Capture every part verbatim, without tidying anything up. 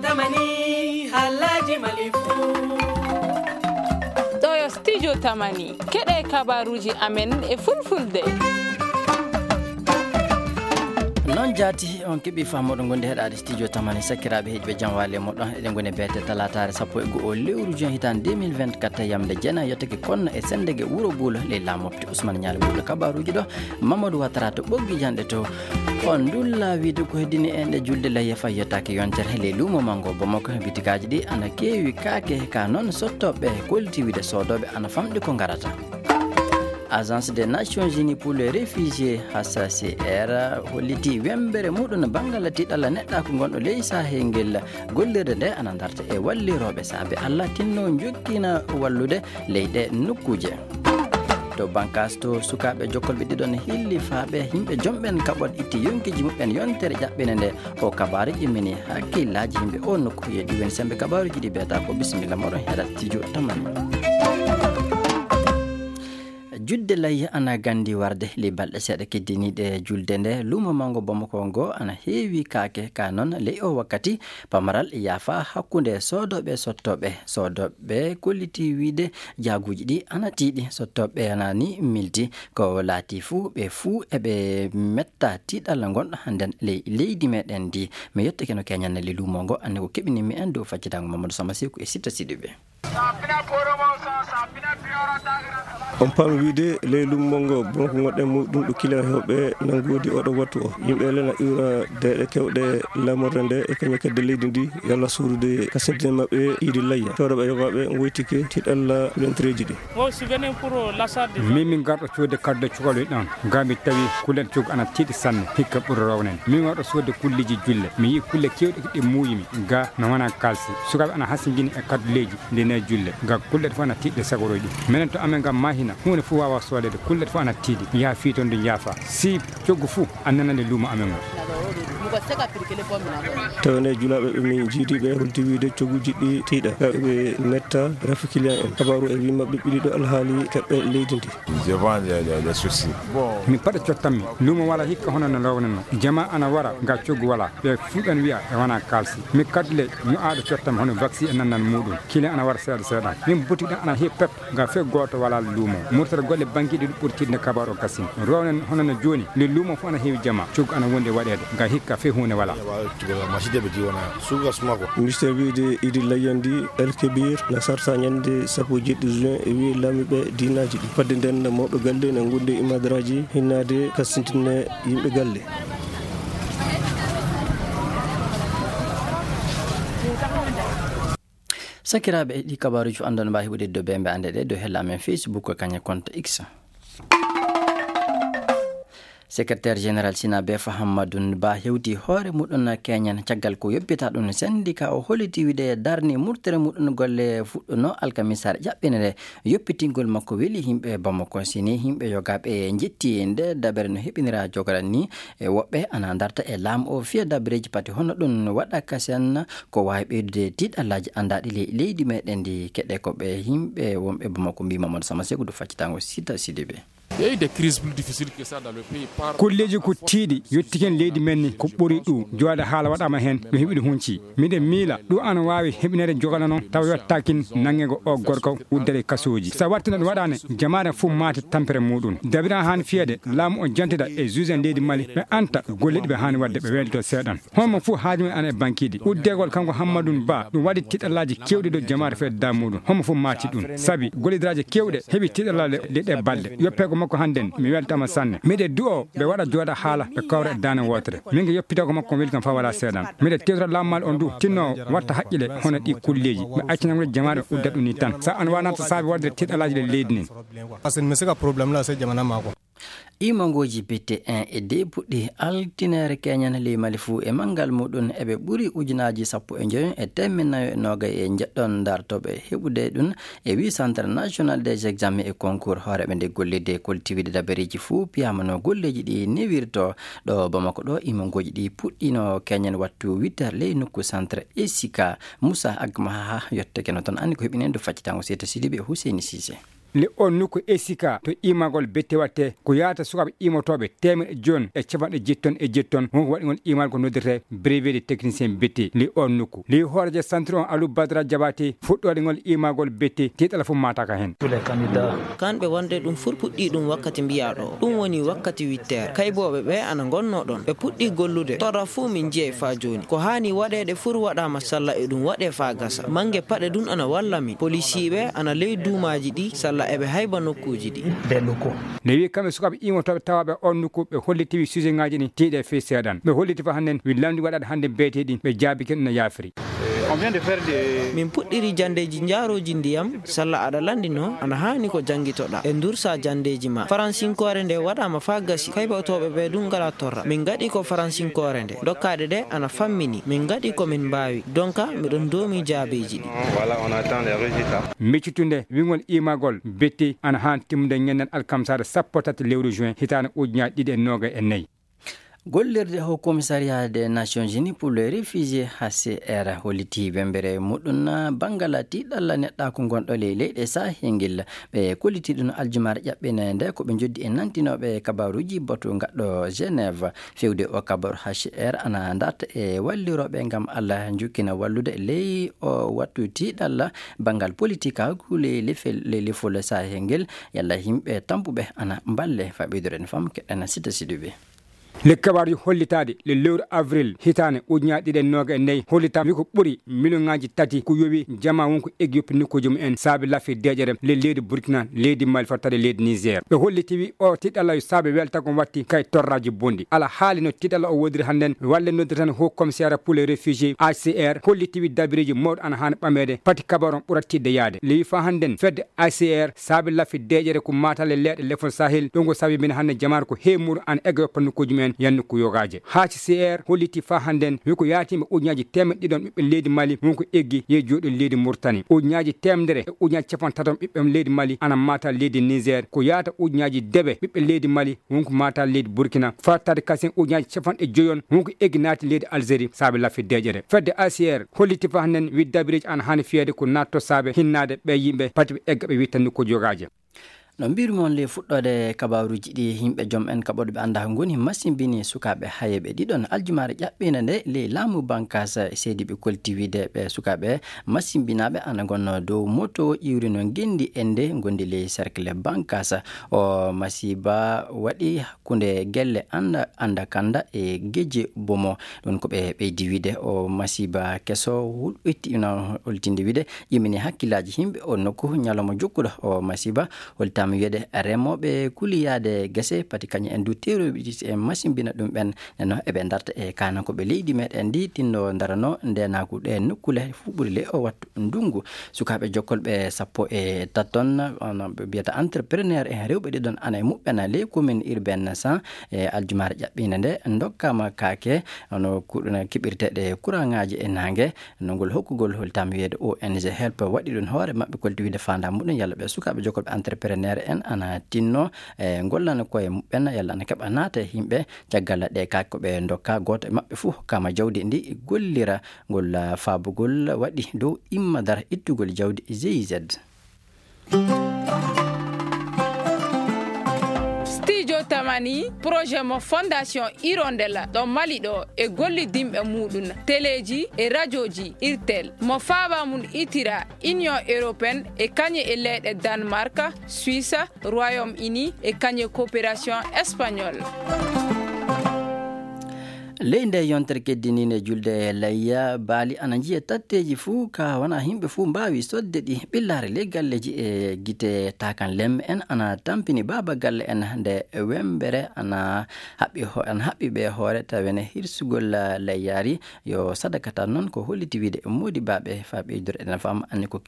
Tamani, Alhaji Malifu. Ɗo yo Studio Tamani. Keɗe kabaruuji amen e fulfulde. Noon jaati, on keɓi faamuɗo ngonde heɗaade Studio Tamani. Sakiraaɓe heɗiɓe, jam waali e moɗon. Eɗen ngoni beete talaataare sappo e go'o lewru juin hitaande deux mille vingt-quatre, yamde jeenayi yottake konno e sendege wuro Buulo ley laamu mofte Ousmane Ñaali. Ɓurɗo kabaruuji ɗo, Mamadou Ouattara to ɓoggi janɗe to. On ndulla wiide ko heddini en ɗe julde layya fay yottaake yontere ley luumo manngo Bamako. Bitikaaji ɗi ana keewi kaake, ka noon sottooɓe kolliti wiide soodooɓe ana famɗi ko ngarata. Agence des Nations Unies pour les Réfugiés, H C C R, holliti wembere muɗum banngal tiiɗalla neɗɗaaku ngonɗo ley Sahel ngel. Gollirde nde ana darta e wallirooɓe saabe Alla tinno jokkina wallude ley ɗe nokkuuje. To bankas to sukaaɓe jokkolɓe ɗiɗon hillifaaɓe yimɓe jomɓen kaɓon itti yonkiiji muɓɓen yontere ƴaɓɓene nde. O kabaaru immini hakkillaaji yimɓe o nokku. Yeeɗi woni sembe kabaaruuji ɗi beeta ko bisimilla moɗon heɗat Studio Tamani. Julde layya ana gandi warde ley balɗe seeɗa keddiniiɗe julde nde. Luumo manngo Bamako ngo ana heewi kaake, ka noon ley o wakkati pamaral yaafa hakkunde soodooɓe sottooɓe. Soodooɓe kolliti wiide jaaguuji ɗi ana tiiɗi, sottooɓe ana ni mildi. Ko laati fuu, ɓe fuu eɓe metta tiiɗalla ngonɗo hannden ley leydi meɗen ndi. Mi yettake no keñanne ley luumo ngo, annde ko keɓinimmi en dow faccitango Mamadou Sama Seku e Sitta Sidiɓe. On paami wiide ley luumo ngo Bamako ngonɗen muɗum ɗo kiliyan heewɓe nanngoodi oɗo wattu o. Yimɓe lena iwra deeɗe kewɗe lamorde nde e kañum kedde leydi ndi yalla suudude kasintine maɓɓe iidi layya. Tewreɓe yogaaɓe ngoytike tiiɗalla kulentereeji ɗi. Min min garɗo coodde kadduɗe cukalel ɗon. Ga mi tawi kulen coggu ana tiiɗi sanne, hikka ɓuri rownen. Min warɗo soodde kulleeji julle. Mi yi'i kulle keewɗe ɗe muuyimi. Ga no wona kaalsi. Sukaaɓe ana hasingini e kadduleeji nde ne julle. Ga kulle ɗe fof ana tiiɗi sagorooji ɗi. Minen to amen ga Mahina, huunde fof waawa soodeede. Kulle ɗe fof ana tiiɗi. Yaha fii toon ndu njaafa. Si coggu fof a nanani luumo amen o. Tawne julaaɓe ɓe min jiidi ɓe holti wiide cogguuji ɗi tiiɗa. Ɓe metta rafi client en. Kabaaru e wi maɓɓe ɓiɗi ɗo alhaali kaɓɓe leydi ndi. Je vends des, des, des soucis. Bon. Mi paɗa cottammi. Luumo wala hikka hono no lownanno. Jama ana wara nga coggu wala. Ɓe fuu ɓen wi'a e wana kalsi. Mi kaddule ñu aɗo cottammi hono vaccine e nannan muɗum. Kile ana wara seeɗa seeɗa. Min boutique ɗan ana heewi pep. Nga fe gooto wala luumo. Murtere golle banki ɗi ɓurtinde kabaaru o kasin. Rownen hono no jooni. Nde luumo fof ana heewi jama. Coggu ana wondi e waɗeede. Nga hikka fe huunde wala. Machine ɓe jiwona. Suga suma ko. Ministère wiide idi layyandi El Kebir na sarta ñande sappo e jeɗɗi juin e wiye laamiiɓe diinaaji ɗi. Fadde nden mawɓe galle na ngondi e imadaraaji hinnaade kasintine yimɓe galle. Sakiraaɓe, ɗi kabaaruuji fof anndon mbaawi heɓude dow bembe annde ɗe dow hella amen Facebook ko kañe compte X. Secrétaire général Sinabeef Hammadou Ba hewti hoore muɗum keñen caggal ko yoppita ɗum sendika o holliti wiide darni murtere muɗum golle fuɗɗuno alkamisaare ƴaɓɓine nde yoppitingol makko weli yimɓe Bamako. Sini yimɓe yogaaɓe njetti nde dabere no heɓinira jogaran ni e woɓɓe ana darta e laamu o fiya dabareeji pati hono ɗum waɗa kasen ko waawi ɓeydude tiiɗallaaji anndaaɗi ley leydi meɗen ndi keɗe ko ɓe yimɓe wonɓe Bamako mbi Mamadou Sama Seku du faccitango Sita Sidibe. Il y a eu des crises plus difficiles que ça dans le pays. Par Kolleeji ko tiiɗi, yettiken leydi men ni, ko ɓuri ɗum. Jooɗa haala waɗama heen, mi heɓi ɗum hunci. Miɗen miila, ɗum ana waawi heɓinede jogana noon, tawa yottaakin nannge ngo o gorko uddere kasooji. So wattina ɗum waɗaani, jamaare fof maati tampere muɗum. Dabira haani fiyede, laamu o jantida e juge en leydi Mali, ɓe anta golle ɗi ɓe haani waɗde, ɓe weedoto seeɗan. Homo fof haaju men ana e bankiiji. Uddegol kanko Hammadou Ba, ɗum waɗi tiɗallaaji keewɗi ɗo jamaare fedda muɗum. Homo fof maati ɗum. Sabi gollidiraaji keewɗe heɓi tiɗallaaji ɗe, ɗe balɗe. Yoppego makko hannden, mi weltama sanne. Miɗe du'o ɓe waɗa jooɗa haala, ɓe kawra e daane wootere. Min ko yoppitego makko weli kam faa wala seeɗan. Miɗe tewtora laamu Mali on du, tinno watta haqqile hono ɗi kulleeji. Ɓe accina woni jamaare udda ɗum ni tan. Sa an wanata saabi waɗde tiɗallaaji ɗe leydi nin. Parce que mi sika problème la se jamana mako. Imangooji B T un e deux puɗɗi altineere keñan ley Mali fuu e manngal muɗum eɓe ɓuri ujunaaji sappo e njoyo e teemeɗɗe nayo e noogay e njeɗɗon dartooɓe heɓude ɗum e wi Centre National des Examens et Concours. Hooreeɓe nde gollirde koltiwiide dabareeji fuu piyama no golleeji ɗi newirto ɗo Bamako ɗo. Imangooji ɗi puɗɗino keñan wattu huit heures ley nokku centre Esika. Moussa Agmaha yottake no toon anndi ko heɓinen ɗo faccitango Seyta Sidibe e Huseyni Sise. Le on nokku esika to imagol bette watte ko yaata sukaaɓe imotooɓe teemeɗe joon e capanɗe jetton e jetton, wonko waɗi ngol imal ko noddirte brevet de technicien bette. Le on nokku le hoorejo centre on Alou Badra Jabate fuɗɗoode ngol imagol bette tiiɗala fof mataka heen. Kanɓe wonde ɗum fur puɗɗi ɗum wakkati mbiyaɗo ɗum woni wakkati witteere kaybooɓe ɓe ana ngonno ɗon ɓe puɗɗi gollude torra fuu min njiyay faa jooni ko haani waɗeede fur waɗaama salla e ɗum waɗee faa gasa mange paɗe ɗum ana walla min polisiiɓe ana ley duumaaji ɗi salla eɓe hayba nokkuuji ɗi. Ne wi kamɓe sukaaɓe imotooɓe tawaaɓe on nokku ɓe hollitiwi sujet ŋaaji ɗi tiiɗe fii seeɗan ɓe holliti fa hannden wi lamndi waɗaade hannde beeteeɗi ɓe jaabike ɗum no yaafiri. Min puɗɗiri janndeeji njaarooji ndiyam salla aɗa lanndino ana haani ko janngitoɗaa e ndursa janndeeji ma faransinkoore nde waɗaama faa gasi kaybotooɓe ɓe ɗum ngala torra min ngaɗi ko faransinkoore nde dokkaɗe ɗe ana fammini min ngaɗi ko min mbaawi donka miɗon doomi jaabeeji ɗi. Miccitunde wingol imagol betti ana haan timmude ñanden alkamsaare sappo tati lewru juin hitaande ujunaaji ɗiɗi e noogay e nayi. Gollirde Haut Commissariat des Nations Unies pour les Réfugiés, H C R, holliti wembere muɗum banngal tiiɗalla neɗɗaaku ngonɗo ley leyɗe Sahel ngel. Ɓe kolliti ɗum aljumaare ƴaɓɓineende ko ɓe njoddi e nantinooɓe kabaaruuji batu ngaɗɗo Genève. Fewde o kabaaru H C R ana darta e wallirooɓe ngam Allah njukkina wallude ley o wattu tiiɗalla banngal politikaaku ley lefel ley lefol Sahel ngel. Yalla yimɓe tampuɓe ana mballe fa ɓeyduren fam keɗɗana sita siduɓe. Le kabaruji hollitaade le lewru avril hitaande ujunaaji ɗiɗi e nooga e nayi hollitaama wi ko ɓuri miliyonŋaaji tati ko yowi jama won ko eggi yoppi nokkuuji mum en saabi lafi deeƴere le leydi Burkina leydi Mali fattaade leydi Niger ɓe holliti wi o tiɗɗalayo saabi weltago watti kay torraji bonɗi ala haali no tiɗɗala o wodiri hannden walle noddirtan haut commissariat pour les réfugiés H C R holliti wi dabireji mawɗo ana haani ɓameede pati kabaru on ɓura tiɗde yaade le wi fa hannden fedde H C R saabi lafi deeƴere ko maatalle leeɗe lefol Sahel ɗum ko sabi min hannde jamaare ko heewi muɗum ana egga yoppa nokkuuji mumen yannde ko yogaaje. H C R holliti faa hannden wi ko yaatiiɓe ujunaaji teemeɗɗe ɗiɗon ɓiɓɓe leydi Mali won ko eggi yehi jooɗi leydi Murtani ujunaaji teemedere e ujunaaji capanɗe taton ɓiɓɓe leydi Mali ana maata leydi Niger ko yaata ujunaaji dewe ɓiɓɓe leydi Mali won ko maata leydi Burkina fattaade kasen ujunaaji capanɗe joyon won ko eggi naati leydi Algérie saabe lafi deeƴere fedde H C R holliti faa hannden wi dabireeji ana haani fiyeede ko naatto saabe hinnaade ɓee yimɓe pati ɓe egga ɓe witta nokkuuji yogaaje. No mbirmi on ley fuɗɗoode kabaaruuji ɗi yimɓe joom en kaɓooɗo ɓe anndaa ngoni masimbini sukaaɓe hayeeɓe ɗiɗon aljumaare ƴaɓɓiinde nde ley laamu bankaas seediiɓe kolti wiide ɓe sukaaɓe masimbinaaɓe ana ngonno dow moto ƴiwrino ngenndi ende ngondi ley cercle bankaas. O masiba waɗi hakkunde gelle annda annda kanda e geje bomo. Ɗum ko ɓe ɓeydi wiide o masiba keso hulɓitti ina holtinde wiide ƴimini hakkillaaji yimɓe o nokku ñalawma jokkuɗo o masiba holtaama wiyeede remooɓe kuliyaade gese pati kañum en du terroriste en masimbina ɗum ɓen neno eɓe darta e kaana ko ɓe leydi meɗen ndi tinno darano ndenaku ɗe nokkule fuɓɓude le o wattu ndungu. Sukaaɓe jokkolɓe sappo e taton ɓe mbiyata entrepreneur en rewɓe ɗiɗon ana e muɓɓen ley commune urbaine san e aljumaare ƴaɓɓiinde nde dokkama kaake hono kuɗuna keɓirteɗe kuraŋaaji e naange. Nongol hokkugol holtaama wiyeede O N G help waɗi ɗum hoore maɓɓe kolti wiide faandaa muɗum yalla ɓe sukaaɓe jokkolɓe entrepreneur en ana tinno e ngollana koye muɓɓen yalla ana keɓa naata e yimɓe. Caggal ɗe kaake ko ɓe dokka gooto e maɓɓe fof hokkama jawdi ndi gollira ngol faabugol waɗi dow imma dara ittugol jawdi G I Z. Studio Tamani projet mo fondation Hirondella ɗo Mali ɗo e gollidinɓe muɗum teleeji e rajoji irtel mo faaba mum itira Union européenne e kañe e leyɗe Danemark, Suisse, Royaume Uni e kañe coopération espagnole. Ley nde yontere keddiniinde julde layya baali ana njiya tatteeji fuu ka wona yimɓe fuu mbaawi sodde ɗi ɓillaare ley galleeji e gite takan lemme en ana tampini baaba galle en nde wembere ana haɓɓi ho- ana haɓɓi ɓe hoore tawene hirsugol layyaari yo sadaka tan noon ko holliti wiide moodi baaɓe faa ɓeydor enen fam anni ko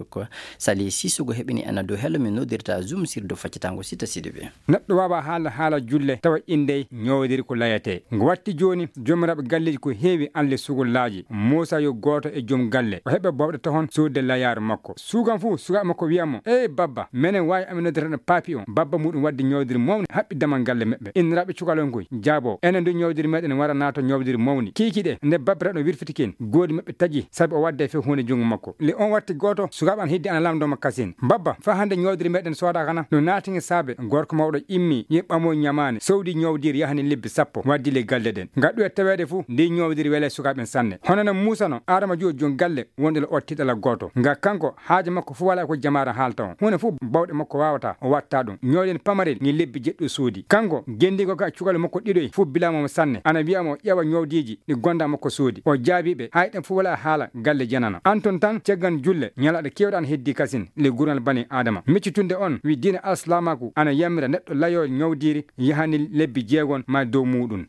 ko sali sisogo heɓini ena dow hello min noddirta zoom sirdo faccatango sita sidi ɓe. Neɗɗo waawa haala haala julle tawa innde ñoowodiri ko layatee ngo watti jooni. Joomiraaɓe galleeji ko heewi aan le sugolaaji. Muusa yo gooto e joom galle. O heɓa bawɗe tohon suude layaaru makko. Suugan fuu, sukaaɓe makko wi'a mo, "Ee babba, menen waawi amen noddirde paapi on." Babba muuɗum waddi ñoowdiri mawni, haɓɓi damal galle maɓɓe. Inniraaɓe cukalon koy jaabo, "Enen du ñoowdiri meɗen wara naato ñoowdiri mawni." Kiikiiɗe, nde babbiraaɗo wirfiti kin, goodi maɓɓe taji, sabi o wadde fii huunde junngo makko. Le on watti gooto, sukaaɓe an hidde ana lamndoo mo kasin. "Babba, faa hannde ñoowdiri meɗen soodaaka na?" No naati e saabe, gorko mawɗo immi, yehi ɓamoy ñamaani, sowdi ñoowdiri yahani lebbi sappo, waddi le galle ɗen. Nga ɗuwe taweede fuu, ndi ñoowdiri wele sukaaɓe en sanne. Hono no Muusa no, Aadama juwo jom galle, wonde le otti ɗala gooto. Nga kanko, haaje makko fuu walaa ko jamaare haalta on. Huunde fuu bawɗe makko waawata, o watta ɗum. Ñoowden pamarel, ngi lebbi jeɗɗo soodi. Kanko, gendiigo ka cukalel makko ɗiɗoy, fuu bilaama mo sanne. Ana wi'a mo ƴeewa ñoowdiiji, ɗi gonda makko soodi. O jaabii ɓe, hay ɗen fuu walaa haala, galle janano. Anton tan, caggan julle, ñalaaɗe keewɗe ana heddi kasin, le gurnal bani Aadama. Miccitunde on, wi diina alsilaamaaku, ana yammira neɗɗo layoo ñoowdiiri, yahani lebbi jeegon ma dow muuɗum.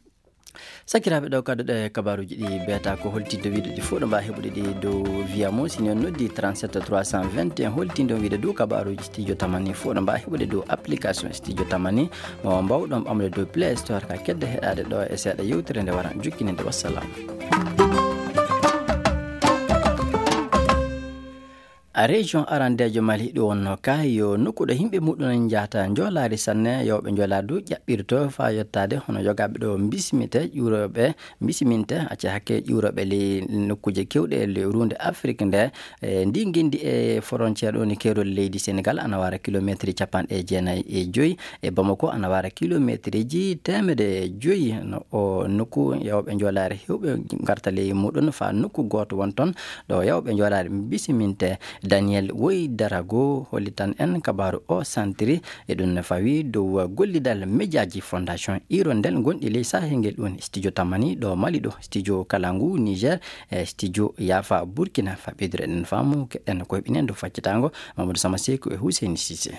Sakiraaɓe, ɗo kadduɗe kabaaruuji ɗi beeta ko holtinde wiide ɗi fof ɗo mbaa heɓude ɗi dow via mo. Si on noddi trente-sept trois cent vingt et un, holtinde on wiide dow kabaaruuji studio tamani fof ɗo mbaa heɓude dow application studio tamani. Mo mbawɗon ɓamde dow Play Store ka kedde heɗaade ɗo e seeɗa yewtere nde wara jokkininde. Wassalam. A région arandeejo Mali ɗo wonno ka yo nokku ɗo yimɓe muɗum en njahata njoolaari sanne, yawɓe njoolaari du ƴaɓɓirto faa yottaade hono yogaaɓe ɗo mbisimite ƴuurooɓe, mbisiminte acca hakke ƴuurooɓe ley nokkuuje kewɗe ley ruunde Afrik nde. E ndi ngenndi e frontière ɗo ni keerol leydi Sénégal ana wara kilometre capanɗe jeenayi e joyi, e Bamako ana wara kilometreji teemedde joyi. No o nokku yawɓe njoolaari hewɓe ngarta ley muɗum faa nokku gooto won toon ɗo yawɓe njoolaari mbisiminte. Daniel Woy Darago hollitan en kabaaru o santiri e ɗum no fawi dow gollidal mejaaji Fondation Hirondelle gonɗi ley Sahel ngel ɗum studio tamani ɗo Mali ɗo, studio Kalangu Niger, e studio Yafa Burkina. Faa ɓeydude ɗen faamu keɗen koyɓinen dow faccitaango Mamadou Sama Seku e Hussein Cissé.